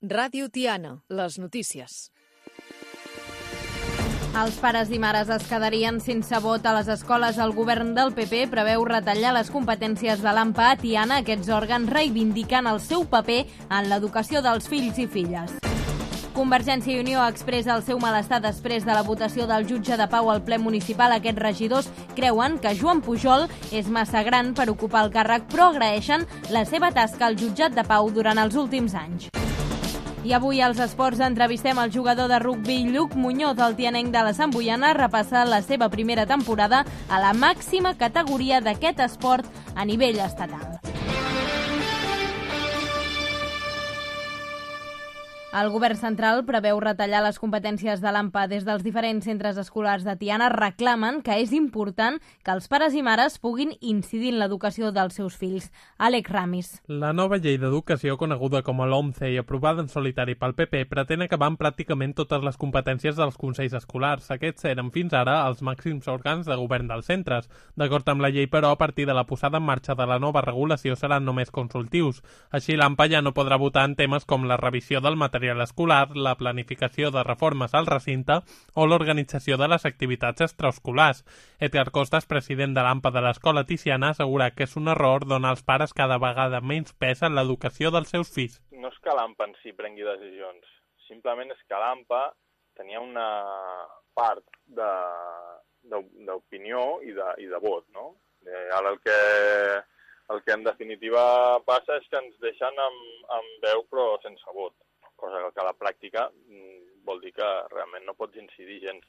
Ràdio Tiana, les notícies. Els pares i mares es quedarien sense vot a les escoles. El govern del PP preveu retallar les competències de l'AMPA a Tiana. Aquests òrgans reivindiquen el seu paper en l'educació dels fills i filles. Convergència i Unió expressa el seu malestar després de la votació del jutge de pau al ple municipal. Aquests regidors creuen que Joan Pujol és massa gran per ocupar el càrrec, però agraeixen la seva tasca al jutjat de pau durant els últims anys. I avui als esports entrevistem el jugador de rugbi Lluc Muñoz. El tianenc de la Sant Boiana repassa la seva primera temporada a la màxima categoria d'aquest esport a nivell estatal. El govern central preveu retallar les competències de l'AMPA. Des dels diferents centres escolars de Tiana reclamen que és important que els pares i mares puguin incidir en l'educació dels seus fills. Àlex Ramis. La nova llei d'educació, coneguda com a LOMCE i aprovada en solitari pel PP, pretén acabar amb pràcticament totes les competències dels consells escolars. Aquests eren fins ara els màxims òrgans de govern dels centres. D'acord amb la llei, però, a partir de la posada en marxa de la nova regulació seran només consultius. Així, l'AMPA ja no podrà votar en temes com la revisió del material escolar, la planificació de reformes al recinte o l'organització de les activitats extraescolars. Edgar Costas, president de l'AMPA de l'Escola Tiziana, assegura que és un error donar als pares cada vegada menys pes en l'educació dels seus fills. No és que l'AMPA en si prengui decisions, simplement és que l'AMPA tenia una part d'opinió i de vot, no? Ara el que en definitiva passa és que ens deixen amb veu però sense vot, cosa que a la pràctica vol dir que realment no pots incidir gens.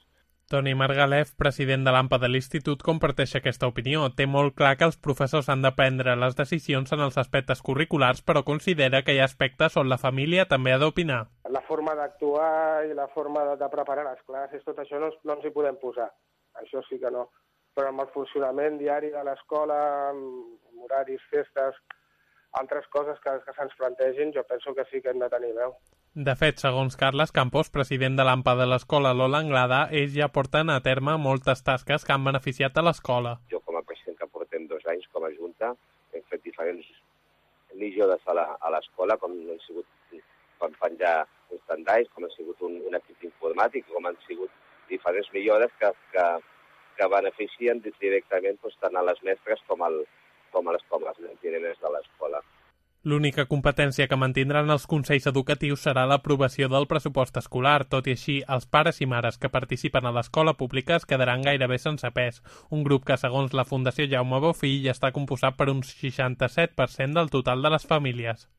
Toni Margalef, president de l'AMPA de l'Institut, comparteix aquesta opinió. Té molt clar que els professors han de prendre les decisions en els aspectes curriculars, però considera que hi ha aspectes on la família també ha d'opinar. La forma d'actuar i la forma de preparar les classes, tot això no ens hi podem posar. Això sí que no. Però amb el funcionament diari de l'escola, amb horaris, festes, altres coses que se'ns plantegin, jo penso que sí que hem de tenir veu. De fet, segons Carles Campos, president de l'AMPA de l'escola Lola Anglada, ells ja porten a terme moltes tasques que han beneficiat a l'escola. Jo, com a president que portem 2 anys com a Junta, hem fet diferents millores a l'escola, com han sigut com penjar uns tendais, com ha sigut un equip informàtic, com han sigut diferents millores que beneficien directament tant a les mestres com a les nens de l'escola. L'única competència que mantindran els consells educatius serà l'aprovació del pressupost escolar. Tot i així, els pares i mares que participen a l'escola pública es quedaran gairebé sense pes. Un grup que, segons la Fundació Jaume Bofill, està composat per un 67% del total de les famílies.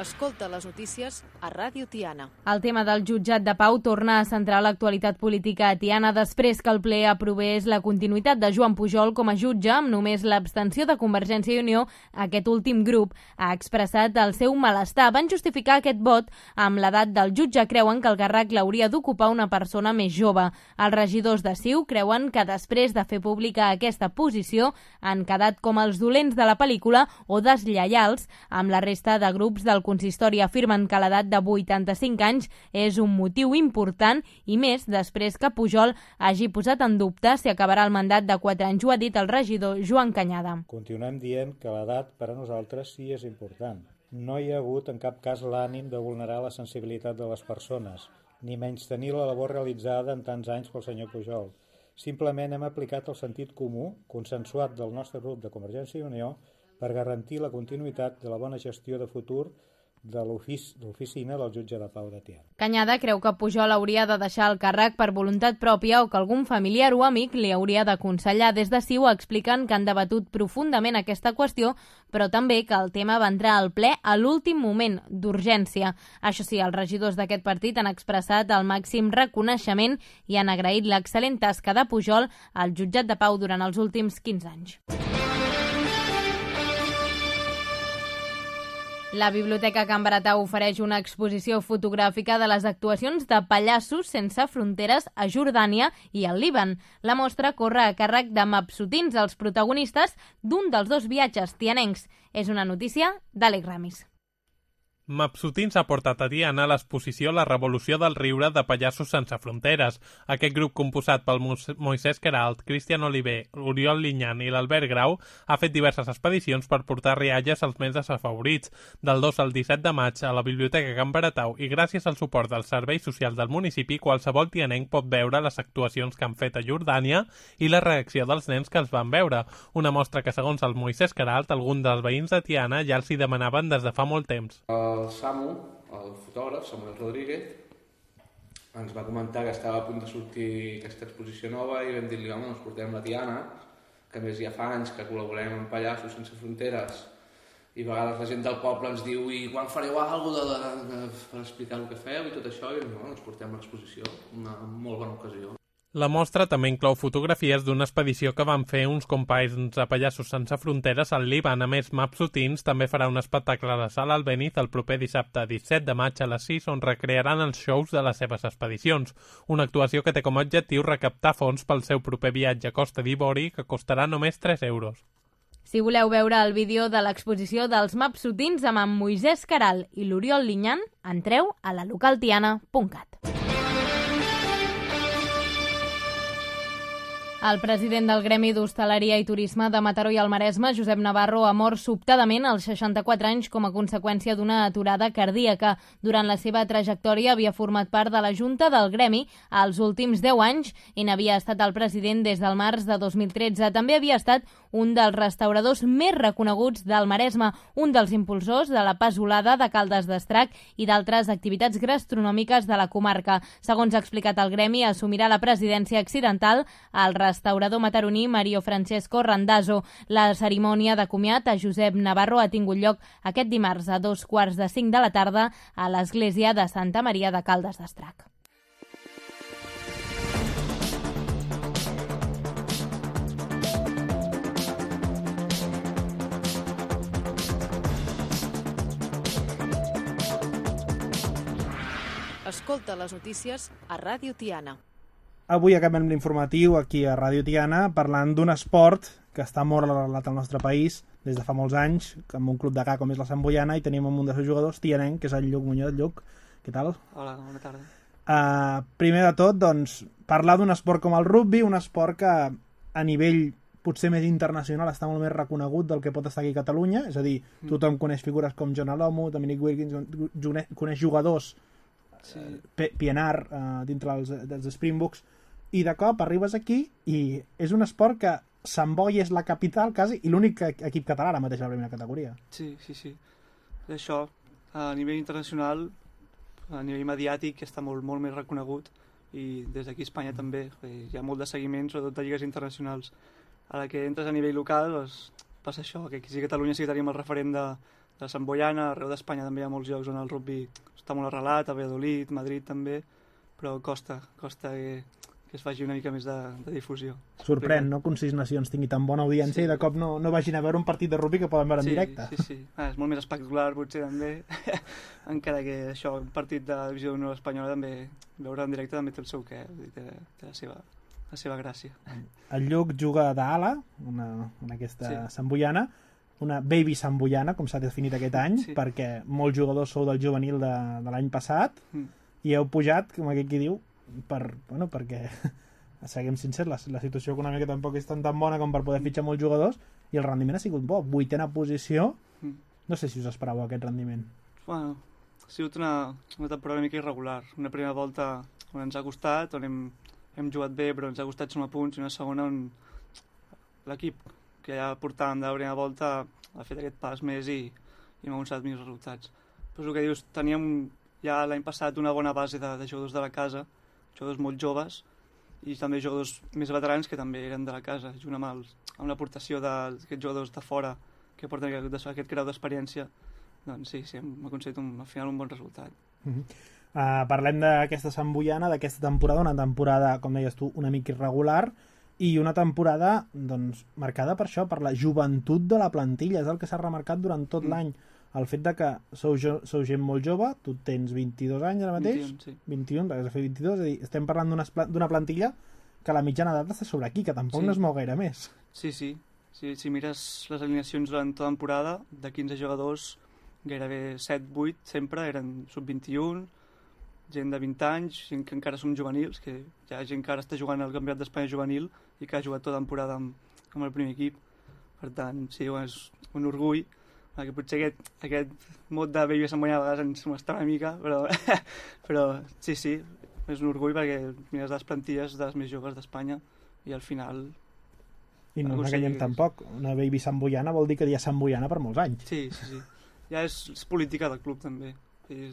Escolta les notícies a Ràdio Tiana. El tema del jutjat de pau torna a centrar l'actualitat política a Tiana després que el ple aprovés la continuïtat de Joan Pujol com a jutge amb només l'abstenció de Convergència i Unió. Aquest últim grup ha expressat el seu malestar. Van justificar aquest vot amb l'edat del jutge. Creuen que el càrrec l'hauria d'ocupar una persona més jove. Els regidors de CiU creuen que després de fer pública aquesta posició han quedat com els dolents de la pel·lícula o deslleials amb la resta de grups del consistori. Afirmen que l'edat de 85 anys és un motiu important i més després que Pujol hagi posat en dubte si acabarà el mandat de 4 anys. Ho ha dit el regidor Joan Cañada. Continuem dient que l'edat per a nosaltres sí és important. No hi ha hagut en cap cas l'ànim de vulnerar la sensibilitat de les persones, ni menystenir la labor realitzada en tants anys pel senyor Pujol. Simplement hem aplicat el sentit comú, consensuat del nostre grup de Convergència i Unió, per garantir la continuïtat de la bona gestió de futur de l'oficina del jutge de pau de Tiana. Cañada creu que Pujol hauria de deixar el càrrec per voluntat pròpia o que algun familiar o amic li hauria d'aconsellar. Des de CiU expliquen que han debatut profundament aquesta qüestió, però també que el tema va entrar al ple a l'últim moment, d'urgència. Això sí, els regidors d'aquest partit han expressat el màxim reconeixement i han agraït l'excel·lent tasca de Pujol al jutjat de pau durant els últims 15 anys. La Biblioteca Can Baratà ofereix una exposició fotogràfica de les actuacions de Pallassos Sense Fronteres a Jordània i al Líban. La mostra corre a càrrec de mapsutins, els protagonistes d'un dels 2 viatges tianencs. És una notícia d'Àlex Ramis. Mapsutins ha portat a Tiana a l'exposició La revolució del riure de Pallassos sense fronteres. Aquest grup composat pel Moisès Queralt, Cristian Oliver, Oriol Linyan i l'Albert Grau ha fet diverses expedicions per portar rialles als més desafavorits. Del 2 al 17 de maig a la Biblioteca Can Baratau i gràcies al suport dels serveis socials del municipi, qualsevol tianenc pot veure les actuacions que han fet a Jordània i la reacció dels nens que els van veure. Una mostra que, segons el Moisès Queralt, alguns dels veïns de Tiana ja els hi demanaven des de fa molt temps. El Samu, el fotògraf, Samuel Rodríguez, ens va comentar que estava a punt de sortir aquesta exposició nova i vam dir-li, home, ens portem la Tiana, que a més ja fa anys que col·laborem amb Pallassos sense fronteres i a vegades la gent del poble ens diu i quan fareu alguna cosa per explicar el que feu i tot això, i no, ens portem l'exposició, una molt bona ocasió. La mostra també inclou fotografies d'una expedició que van fer uns companys a Pallassos sense fronteres al Líban. A més, Mapsutins també farà un espectacle a la Sala Albéniz el proper dissabte 17 de maig a les 6, on recrearan els shows de les seves expedicions. Una actuació que té com a objectiu recaptar fons pel seu proper viatge a Costa d'Ivori, que costarà només 3 euros. Si voleu veure el vídeo de l'exposició dels Mapsutins amb en Moisès Queralt i l'Oriol Linyan, entreu a la localtiana.cat. El president del Gremi d'Hostaleria i Turisme de Mataró i el Maresme, Josep Navarro, ha mort sobtadament als 64 anys com a conseqüència d'una aturada cardíaca. Durant la seva trajectòria havia format part de la Junta del Gremi als últims 10 anys i n'havia estat el president des del març de 2013. També havia estat un dels restauradors més reconeguts del Maresme, un dels impulsors de la Pasolada de Caldes d'Estrac i d'altres activitats gastronòmiques de la comarca. Segons ha explicat el Gremi, assumirà la presidència accidental al restaurador mataroní Mario Francesco Randazzo. La cerimònia de comiat a Josep Navarro ha tingut lloc aquest dimarts a 2:45 de la tarda a l'església de Santa Maria de Caldes d'Estrac. Escolta les notícies a Ràdio Tiana. Avui acabem l'informatiu aquí a Ràdio Tiana parlant d'un esport que està molt arrelat al nostre país des de fa molts anys, amb un club de ca com és la Sant Boiana, i tenim un dels seus jugadors, tianenc, que és el Lluc Muñoz. Lluc, què tal? Hola, bona tarda. Primer de tot, doncs, parlar d'un esport com el rugby, un esport que a nivell potser més internacional està molt més reconegut del que pot estar aquí a Catalunya, és a dir, tothom coneix figures com John Alomu, Dominic Wilkins, coneix jugadors, PNR dintre dels Springboks, i de cop arribes aquí i és un esport que Sant Boi és la capital quasi i l'únic equip català ara mateix a la primera categoria. Sí. Això, a nivell internacional, a nivell mediàtic, està molt més reconegut, i des d'aquí a Espanya també hi ha molt de seguiment, sobretot de lligues internacionals. A la que entres a nivell local, doncs, passa això, que aquí a Catalunya sí que tenim el referent de Sant Boiana, arreu d'Espanya també hi ha molts llocs on el rugby està molt arrelat, a Valladolid, Madrid també, però costa que es faci una mica més de difusió. Sorprèn, no?, que un 6 Nacions tingui tan bona audiència i de cop no vagin a veure un partit de rugby que poden veure en directe. Sí. És molt més espectacular, potser, també, encara que això, un partit de divisió d'honor espanyola també, veure en directe també té el seu què, té la seva gràcia. El Lluc juga d'ala en aquesta Sant Boiana, una baby Sant Boiana, com s'ha definit aquest any, perquè molts jugadors sou del juvenil de l'any passat i heu pujat, com aquell qui diu, perquè siguem sincers, la situació econòmica tampoc és tan bona com per poder fitxar molts jugadors i el rendiment ha sigut bo, 8ª posició. No sé si us esperàveu aquest rendiment. Bueno, ha sigut una temporada una mica irregular, una primera volta on ens ha costat, on hem jugat bé però ens ha costat sumar punts, i una segona on l'equip que ja portàvem de la primera volta ha fet aquest pas més i m'ha aconseguit millors resultats. Però és el que dius, teníem ja l'any passat una bona base de jugadors de la casa, jugadors molt joves i també jugadors més veterans que també eren de la casa, junt amb l'aportació d'aquests jugadors de fora que porten aquest grau d'experiència. Doncs sí, hem aconseguit al final un bon resultat. Parlem d'aquesta Sant Boiana, d'aquesta temporada, una temporada, com deies tu, una mica irregular, i una temporada doncs, marcada per això, per la joventut de la plantilla. És el que s'ha remarcat durant tot l'any. El fet de que sou gent molt jove, tu tens 22 anys ara mateix, 21, sí. 21, has de fer 22, és a dir, estem parlant d'una plantilla que la mitjana d'edat està sobre aquí, que tampoc no es mou gaire més. Sí. Si mires les alineacions durant tota la temporada, de 15 jugadors, gairebé 7-8 sempre eren sub-21, gent de 20 anys, gent que encara som juvenils, que hi ha gent que ara està jugant al Campionat d'Espanya juvenil i que ha jugat tota temporada amb el primer equip. Per tant, sí, és un orgull, que potser aquest mot de Baby Samboyana a vegades ens molesta una mica, però sí, és un orgull perquè mires les plantilles de les més joves d'Espanya i al final... I no enganyem tampoc, una Baby Samboyana vol dir que hi ha Samboyana per molts anys. Sí. Ja és política del club també.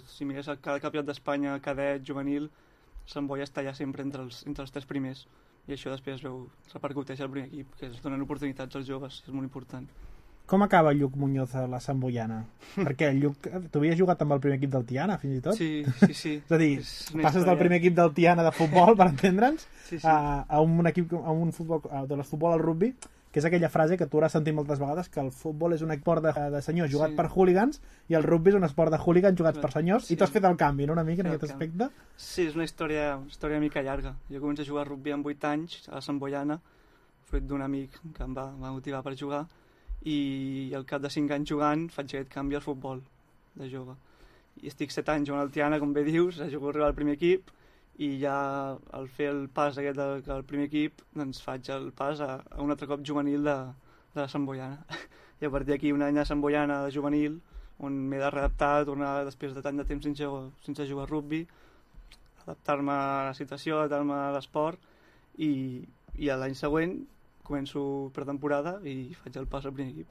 Si mires cada campionat d'Espanya, cadet, juvenil, Sant Boi està ja sempre entre els 3 primers i això després repercuteix al primer equip, que es donen oportunitats als joves, és molt important. Com acaba Lluc Muñoz a la Sant Boiana? Perquè Lluc, tu havies jugat amb el primer equip del Tiana, fins i tot? Sí. És a dir, passes del primer equip del Tiana de futbol, per entendre'ns, a un equip, a un futbol, de futbol al rugby, que és aquella frase que tu hauràs sentit moltes vegades, que el futbol és un esport de senyors jugat per hooligans i el rugby és un esport de hooligans jugats per senyors, i tu has fet el canvi, no, una mica, en aquest aspecte? Sí, és una història una mica llarga. Jo començo a jugar a rugby amb 8 anys, a la Sant Boiana, fruit d'un amic que em va motivar per jugar, i al cap de 5 anys jugant faig aquest canvi al futbol de jove. I estic 7 anys jugant al Tiana, com bé dius, a arribar al primer equip, i ja al fer el pas aquest del primer equip doncs faig el pas a un altre cop juvenil de la Sant Boiana. I a partir d'aquí un any a Sant Boiana de juvenil, on m'he de readaptar, tornar després de tant de temps sense jugar a rugby, adaptar-me a la situació, adaptar-me a l'esport, i l'any següent començo per temporada i faig el pas al primer equip.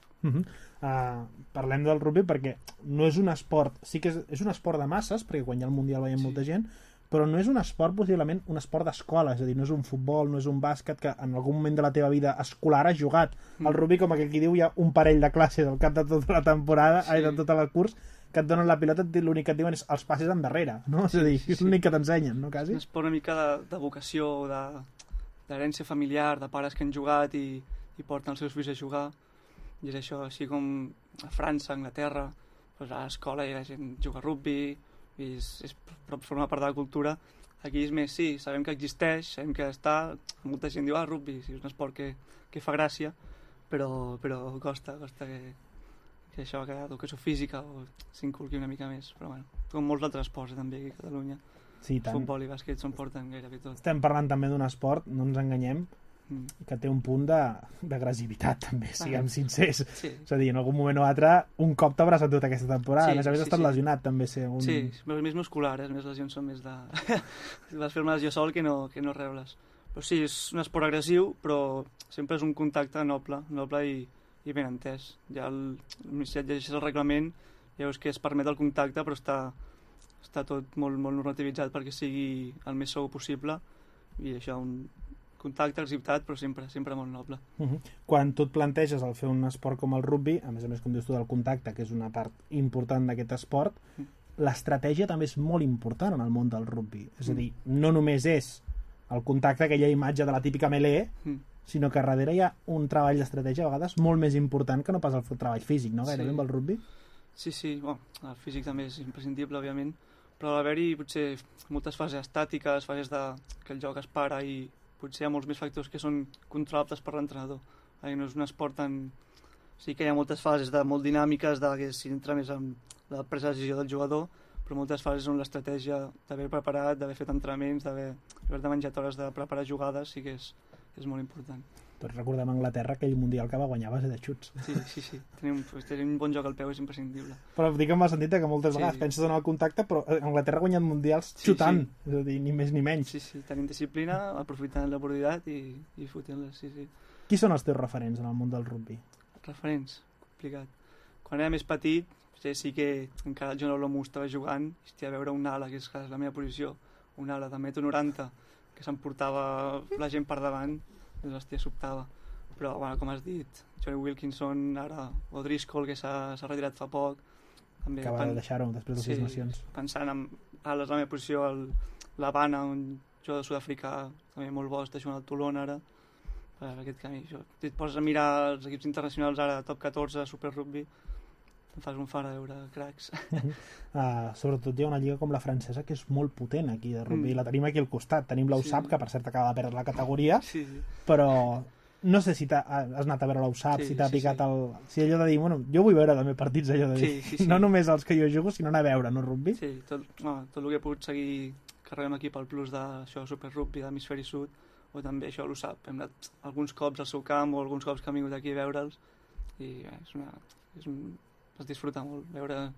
Parlem del rugby perquè no és un esport, sí que és un esport de masses, perquè quan hi ha el Mundial veiem molta gent, però no és un esport, possiblement, un esport d'escola, és a dir, no és un futbol, no és un bàsquet que en algun moment de la teva vida escolar has jugat. El rugby, com aquí diu, hi ha un parell de classes al cap de tota la temporada, de tot el curs, que et donen la pilota, l'únic que et diuen és els passes endarrere, no? És a dir, és l'únic que t'ensenyen, no, quasi? És una mica de vocació, d'herència familiar, de pares que han jugat i porten els seus fills a jugar, i és això, així com a França, a Anglaterra, a l'escola hi ha gent que juga a rugby, i forma part de la cultura. Aquí és més, sí, sabem que existeix, sabem que està, molta gent diu, rugby, sí, és un esport que fa gràcia, però costa que això, que l'educació física s'inculqui una mica més, però bueno, com molts altres esports també aquí a Catalunya, futbol i bàsquet s'ho porten gairebé tot. Estem parlant també d'un esport, no ens enganyem, que té un punt d'agressivitat també, siguem sincers. És a dir, en algun moment o altre un cop t'hauràs endut aquesta temporada, a més has estat lesionat també. Sí, és més muscular, les meves lesions són més de... Vas fer una lesió sol que no rebles. Però sí, és un esport agressiu, però sempre és un contacte noble i ben entès. Ja si et llegeixes el reglament, ja veus que es permet el contacte, però està tot molt normativitzat perquè sigui el més segur possible, i això, un contacte, agressivitat, però sempre molt noble. Quan tu et planteges el fer un esport com el rugby, a més, com dius tu, del contacte, que és una part important d'aquest esport, l'estratègia també és molt important en el món del rugby. És a dir, no només és el contacte, aquella imatge de la típica melee, sinó que darrere hi ha un treball d'estratègia a vegades molt més important que no pas el treball físic, no? Gairebé amb el rugby. Sí, el físic també és imprescindible, òbviament, però ha d'haver-hi potser moltes fases estàtiques, fases que el joc es para, i potser hi ha molts més factors que són controlables per l'entrenador. No és un esport tan... Sí que hi ha moltes fases molt dinàmiques, que s'hi entra més en la presa de decisió del jugador, però moltes fases on l'estratègia d'haver preparat, d'haver fet entrenaments, d'haver menjat hores de preparar jugades, sí que és molt important. Tots recordem a Anglaterra aquell Mundial que va guanyar a base de xuts. Sí. Tenir un bon joc al peu és imprescindible. Però dic en el sentit que moltes vegades penses en el contacte, però Anglaterra ha guanyat mundials xutant, és a dir, ni més ni menys. Sí, tenint disciplina, aprofitant l'oportunitat i fotent-les, sí. Qui són els teus referents en el món del rugby? Referents? Complicat. Quan era més petit, sí que encara el John Olomu estava jugant, i a veure un ala, que és la meva posició, un ala de 1,90 m, que s'emportava la gent per davant, doncs hòstia, sobtava. Però, com has dit, Johnny Wilkinson, ara O'Driscoll, que s'ha retirat fa poc. També, acaba de deixar-ho després de 6 nacions. Pensant en ales, la meva posició, l'Havana, un jugador sud-africà, també molt bo, està jugant al Toulon ara, per aquest camí. Si et poses a mirar els equips internacionals ara, top 14, Super Rugby, em fas un far a veure cracs. Sobretot hi ha una lliga com la francesa que és molt potent aquí de rugby, la tenim aquí al costat, tenim l'USAP, que per cert acaba de perdre la categoria, però no sé si has anat a veure l'USAP, Sí, si t'ha sí, picat sí. si allò de dir, bueno, jo vull veure també partits allò de dir, Sí. no només els que jo jugo, sinó anar a veure, no, rugby? Sí, tot el que he pogut seguir carregant aquí pel plus d'això, Super Rugby d'Hemisferi Sud, o també això l'USAP. Hem anat alguns cops al seu camp o alguns cops que hem vingut aquí a veure'ls i es disfruta molt. Veure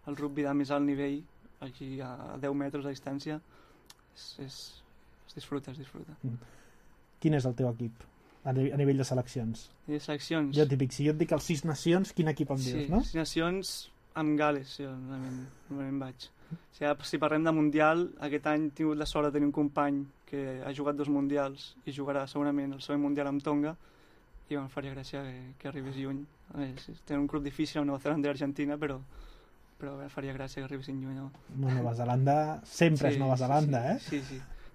el rugby de més alt nivell aquí a 10 metres de distància es disfruta. Quin és el teu equip a nivell de seleccions? I de seleccions? Jo típic, si jo et dic els 6 nacions, quin equip em dius, no? 6 nacions amb Gal·les, jo normalment vaig. Si parlem de Mundial, aquest any he tingut la sort de tenir un company que ha jugat 2 Mundials i jugarà segurament el següent Mundial amb Tonga i em faria gràcia que arribés lluny. Tenen un grup difícil amb Nova Zelanda i Argentina, però faria gràcia que arribessin lluny. No? Nova Zelanda sempre és Nova Zelanda, Sí.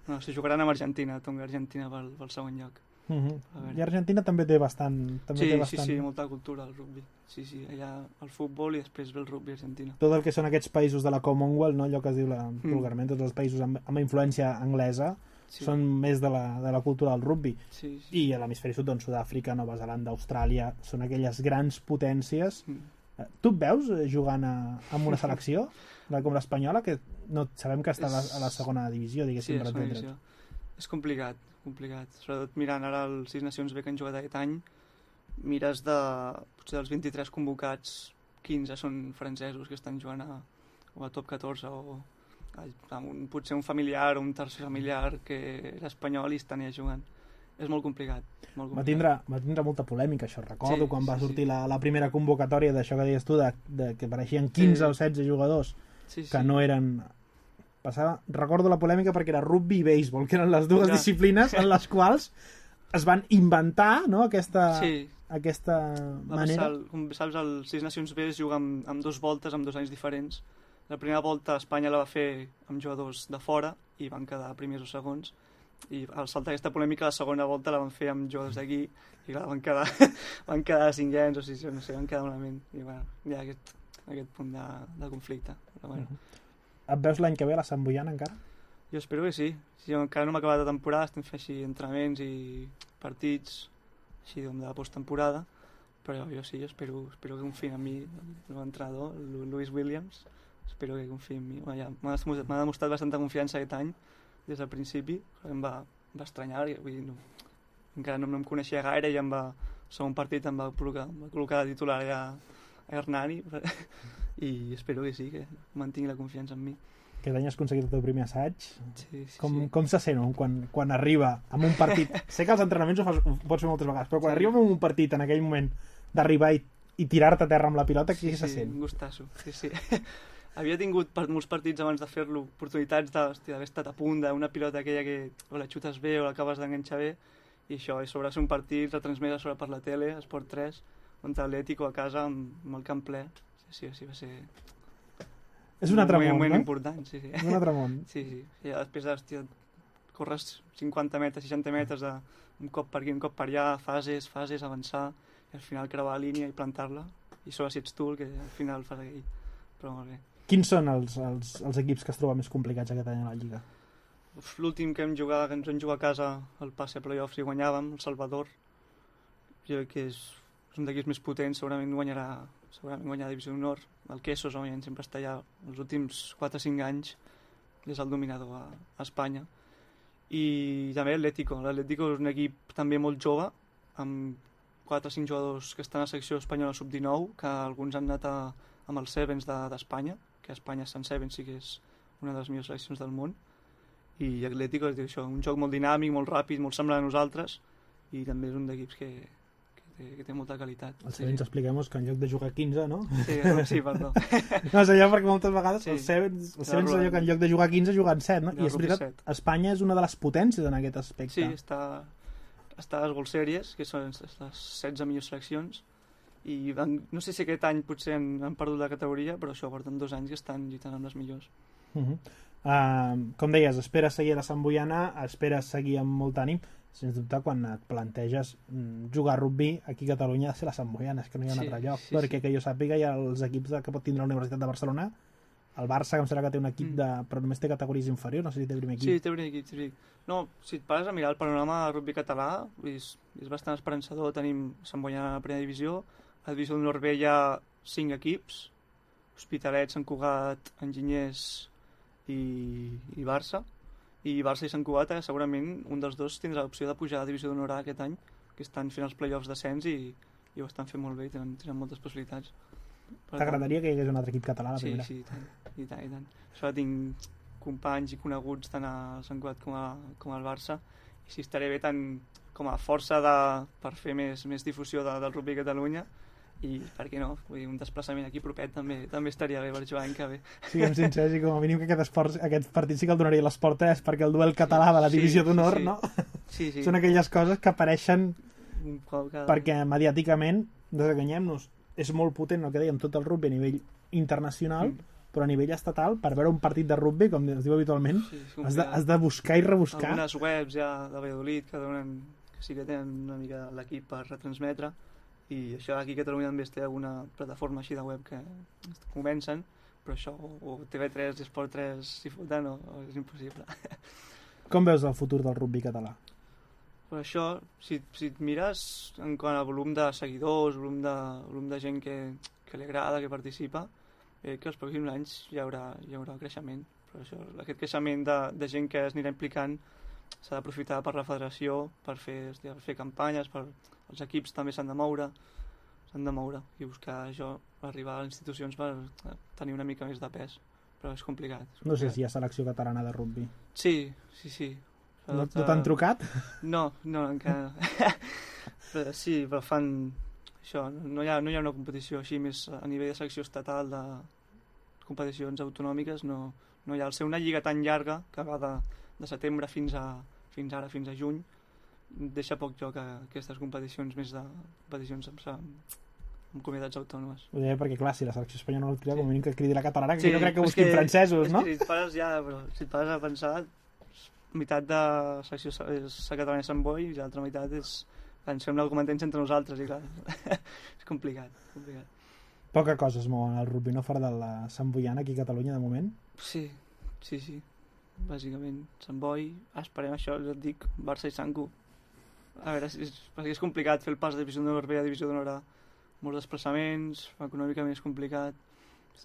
No, se jugaran amb Argentina, Tonga i Argentina pel segon lloc. I Argentina també té bastant... Sí, molta cultura al rugby. Sí, allà el futbol i després ve el rugby a Argentina. Tot el que són aquests països de la Commonwealth, no? Allò que es diu vulgarment, tots els països amb influència anglesa, són més de la cultura del rugby. I a l'hemisferi sud, doncs, Sud-àfrica, Nova Zelanda, Austràlia, són aquelles grans potències. Tu et veus jugant amb una selecció, com l'espanyola, que no sabem que està a la segona divisió, diguéssim, per entendre't. És complicat. Sobretot mirant ara els 6 nacions B que han jugat aquest any, mires potser dels 23 convocats, 15 són francesos que estan jugant a top 14 o potser un familiar o un tercer familiar que era espanyol i estan allà jugant. És molt complicat. Va tindre molta polèmica, això. Recordo quan va sortir la primera convocatòria d'això que deies tu, que apareixien 15 o 16 jugadors que no eren... Recordo la polèmica perquè era rugby i béisbol, que eren les dues disciplines en les quals es van inventar, no, aquesta manera. Com saps, els 6 nacions B es juga amb 2 voltes, amb 2 anys diferents. La primera volta Espanya la va fer amb jugadors de fora i van quedar primers o segons, i al saltar aquesta polèmica la segona volta la van fer amb jugadors d'aquí i clar, van quedar cinquens o sisens, no sé, van quedar malament i bueno, hi ha aquest punt de conflicte, però bueno. Et veus l'any que ve a la Sant Boiana encara? Jo espero que sí. Encara no m'ha acabat la temporada, estem fent així entrenaments i partits així de posttemporada, però jo sí, espero que confiïn en mi l'entrenador, Lewis Williams, espero que confiï en mi. M'ha demostrat bastanta confiança aquest any des del principi, em va estranyar, vull dir, encara no em coneixia gaire i segon partit em va col·locar de titular a Hernani i espero que sí, que mantingui la confiança en mi. Aquest any has aconseguit el teu primer assaig. Sí. Com se sent quan arriba amb un partit? Sé que els entrenaments ho pots fer moltes vegades, però quan arriba amb un partit en aquell moment d'arribar i tirar-te a terra amb la pilota, què se sent? Un gustasso, sí. Havia tingut molts partits abans de fer-lo oportunitats d'haver estat a punt d'una pilota aquella que o la xutes bé o l'acabes d'enganxar bé, i això, sobre ser un partit retransmès a sobre per la tele, Esport 3, contra l'Atlético a casa amb el camp ple. Sí, va ser... És un altre món, no? Un moment important, sí. És un altre món. Sí. I després corres 50 metres, 60 metres, un cop per aquí, un cop per allà, fases, avançar, i al final creuar la línia i plantar-la, i sobre si ets tu el que al final fas aquell. Però molt bé. Quins són els equips que es troben més complicats aquest any a la Lliga? L'últim que ens vam jugar a casa, el passe a playoffs i guanyàvem, el Salvador, jo crec que és un d'equips més potents, segurament guanyarà Divisió d'Honor. El Quesos, òbviament, sempre està allà els últims 4 o 5 anys, és el dominador a Espanya. I també l'Atlético és un equip també molt jove, amb 4 o 5 jugadors que estan a la secció espanyola sub-19, que alguns han anat amb els Sevens d'Espanya, que a Espanya Sant Sevens sí que és una de les millors seleccions del món, i l'Atlético és això, un joc molt dinàmic, molt ràpid, molt semblant a nosaltres, i també és un d'equips que té molta qualitat. Els Sevens, expliquem-nos que en lloc de jugar 15, no? Sí, perdó. No, és allò perquè moltes vegades els Sevens allò que en lloc de jugar 15 juguen 7, no? I és veritat, Espanya és una de les potències en aquest aspecte. Sí, està a les World Series, que són les 16 millors seleccions, i no sé si aquest any potser han perdut la categoria, però això porten 2 anys que estan lluitant amb les millors. Com deies, esperes seguir a la Sant Boiana, esperes seguir amb molt ànim. Sens dubte, quan et planteges jugar a rugby aquí a Catalunya ha de ser la Sant Boiana, és que no hi ha un altre lloc, perquè que jo sàpiga hi ha els equips que pot tindre la Universitat de Barcelona el Barça, que em sembla que té un equip però només té categories inferiors, no sé si té primer equip. Sí, té primer equip, sí. No, si et pares a mirar el panorama del rugby català, és bastant esperançador. Tenim Sant Boiana a la primera divisió, a la divisió d'honor B hi ha 5 equips, Hospitalet, Sant Cugat, Enginyers i Barça. I Barça i Sant Cugat segurament un dels dos tindrà l'opció de pujar a la divisió d'honor A aquest any, que estan fent els play-offs d'ascens i ho estan fent molt bé i tenen moltes possibilitats. T'agradaria que hi hagués un altre equip català a la primera? Sí, i tant. Això tinc companys i coneguts tant a Sant Cugat com al Barça, i si estaré bé tant com a força per fer més difusió del rugby a Catalunya, i per què no, vull dir, un desplaçament aquí propet també estaria bé per jugar l'any que ve. Siguem sincers, i com a mínim que aquest partit sí que el donaria l'Esport 3, perquè el duel català de la divisió d'honor, no? Sí. Són aquelles coses que apareixen perquè mediàticament, desenganyem-nos, és molt potent el que dèiem, tot el rugby a nivell internacional, però a nivell estatal, per veure un partit de rugby, com es diu habitualment, has de buscar i rebuscar. Algunes webs ja de Valladolid que sí que tenen una mica l'equip per retransmetre, i això aquí a Catalunya també té alguna plataforma així de web que comencen, però això o TV3 i Esport 3 s'hi foten o és impossible. Com veus el futur del rugby català? Per això, si et mires en quant a volum de seguidors, volum de gent que li agrada, que participa, que els pròxims anys hi haurà creixement. Però això, aquest creixement de gent que es anirà implicant s'ha d'aprofitar per la federació, per fer campanyes, els equips també s'han de moure i buscar això, arribar a les institucions per tenir una mica més de pes, però és complicat. No sé si hi ha selecció catalana de rugby. Sí. No t'han trucat? No, encara però sí, però fan això, no hi ha una competició així més a nivell de selecció estatal, de competicions autonòmiques, no hi ha. Al ser una lliga tan llarga que va de setembre fins a juny, deixa poc joc a aquestes competicions més de competicions amb comunitats autònomes. Ho deia perquè, clar, si la selecció espanyola no el cria, com a mínim que cridi la catalana, que jo crec que busquin francesos, no? Si et pares a pensar, meitat de selecció és la catalana i Sant Boi i l'altra meitat és ens fem l'argumentens entre nosaltres i clar, és complicat. Poca cosa es mou al rugby, no fora de la Sant Boiana aquí a Catalunya de moment? Sí, bàsicament Sant Boi, esperem això, ja et dic, Barça i Sanco. A veure, perquè és complicat fer el pas de divisió d'honor B a divisió d'honor A, molts desplaçaments, econòmicament és complicat,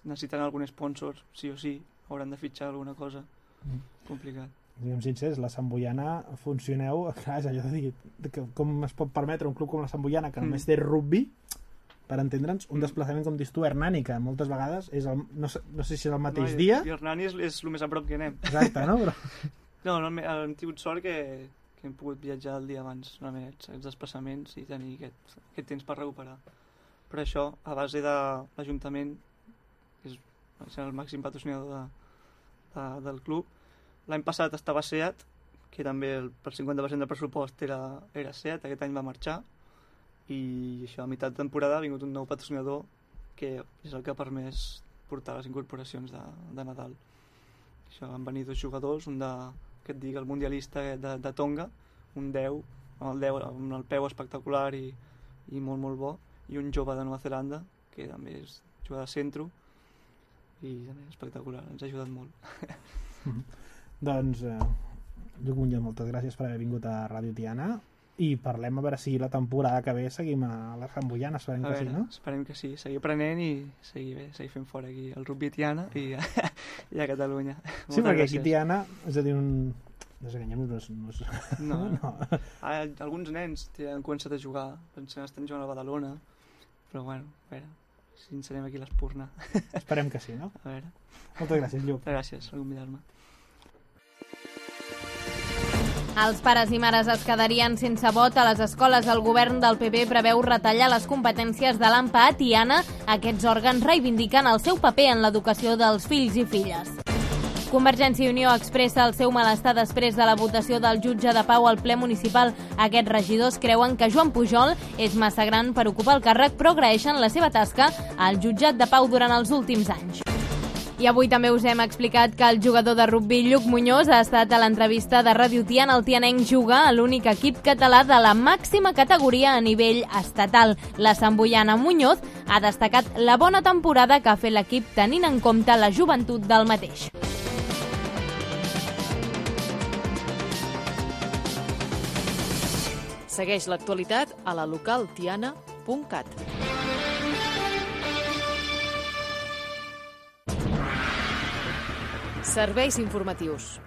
necessiten algun sponsor, sí o sí, hauran de fitxar alguna cosa, complicat. Diguem sincers, la Sant Boiana funcioneu, clar, és allò de dir, com es pot permetre un club com la Sant Boiana, que només té rugby, per entendre'ns, un desplaçament com dius tu, Hernani, que moltes vegades és no sé si és el mateix dia. I Hernani és el més a prop que anem. Exacte, no? No, hem tingut sort que hem pogut viatjar el dia abans, els desplaçaments i tenir aquest temps per recuperar. Per això, a base de l'Ajuntament, que és el màxim patrocinador del club, l'any passat estava SEAT, que també per 50% del pressupost era SEAT, aquest any va marxar, i això, a meitat de temporada ha vingut un nou patrocinador que és el que ha permès portar les incorporacions de Nadal. Això, van venir 2 jugadors, un que et dic, el mundialista de Tonga, un 10, amb el peu espectacular i molt, molt bo, i un jove de Nova Zelanda, que també és jugador de centro, i també espectacular, ens ha ajudat molt. Doncs, Lluc Muñoz, moltes gràcies per haver vingut a Ràdio Tiana, i parlem a veure si la temporada que ve seguim a la Sant Boiana, esperem que sí, no? Esperem que sí, seguir aprenent i seguir fent fora aquí el rugby Tiana i a Catalunya. Sí, perquè aquí Tiana, és a dir, desenganyem-nos. No. Alguns nens han començat a jugar, estan jugant a Badalona, però bueno, a veure, si ens serem aquí a l'Espurna. Esperem que sí, no? A veure. Moltes gràcies, Lluc. Gràcies per convidar-me. Els pares i mares es quedarien sense vot a les escoles. El govern del PP preveu retallar les competències de l'AMPA a Tiana. Aquests òrgans reivindiquen el seu paper en l'educació dels fills i filles. Convergència i Unió expressa el seu malestar després de la votació del jutge de pau al ple municipal. Aquests regidors creuen que Joan Pujol és massa gran per ocupar el càrrec, però agraeixen la seva tasca al jutjat de pau durant els últims anys. I avui també us hem explicat que el jugador de rugbi Lluc Muñoz ha estat a l'entrevista de Ràdio Tiana. El tianenc juga a l'únic equip català de la màxima categoria a nivell estatal. La samboiana Muñoz ha destacat la bona temporada que ha fet l'equip tenint en compte la joventut del mateix. Segueix l'actualitat a la localtiana.cat. Serveis informatius.